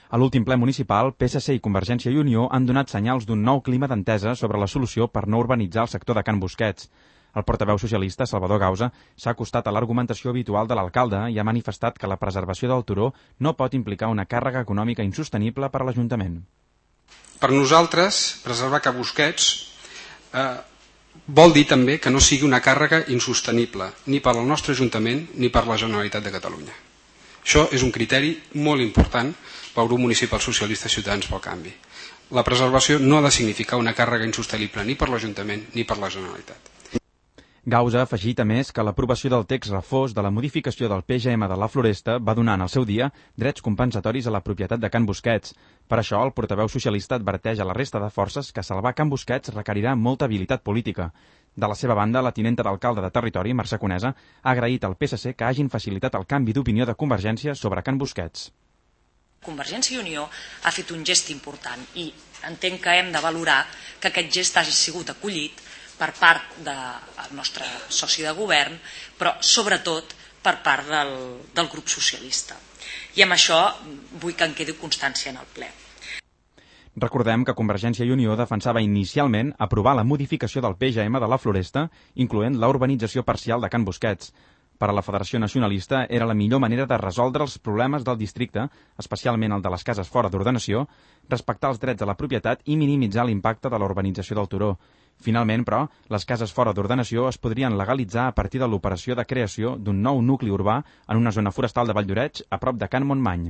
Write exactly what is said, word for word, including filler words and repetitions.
A l'últim ple municipal, P S C i Convergència i Unió han donat senyals d'un nou clima d'entesa sobre la solució per no urbanitzar el sector de Can Busquets. El portaveu socialista, Salvador Gausa, s'ha acostat a l'argumentació habitual de l'alcalde i ha manifestat que la preservació del turó no pot implicar una càrrega econòmica insostenible per a l'Ajuntament. Per nosaltres, preservar Can Busquets eh, vol dir també que no sigui una càrrega insostenible ni per al nostre Ajuntament ni per la Generalitat de Catalunya. Això és un criteri molt important pel grup municipal socialista Ciutadans pel Canvi. La preservació no ha de significar una càrrega insostenible ni per l'Ajuntament ni per la Generalitat. Gausa ha afegit a més que l'aprovació del text refós de la modificació del P G M de la Floresta va donar en el seu dia drets compensatoris a la propietat de Can Busquets. Per això, el portaveu socialista adverteix a la resta de forces que salvar Can Busquets requerirà molta habilitat política. De la seva banda, la tinenta d'alcalde de Territori, Mercè Conesa, ha agraït al P S C que hagin facilitat el canvi d'opinió de Convergència sobre Can Busquets. Convergència i Unió ha fet un gest important i entenc que hem de valorar que aquest gest hagi sigut acollit per part del nostre soci de govern, però sobretot per part del, del grup socialista. I amb això vull que en quedi constància en el ple. Recordem que Convergència i Unió defensava inicialment aprovar la modificació del P G M de la Floresta, incloent la urbanització parcial de Can Busquets. Per a la Federació Nacionalista era la millor manera de resoldre els problemes del districte, especialment el de les cases fora d'ordenació, respectar els drets de la propietat i minimitzar l'impacte de la urbanització del turó. Finalment, però, les cases fora d'ordenació es podrien legalitzar a partir de l'operació de creació d'un nou nucli urbà en una zona forestal de Valldoreix, a prop de Can Montmany.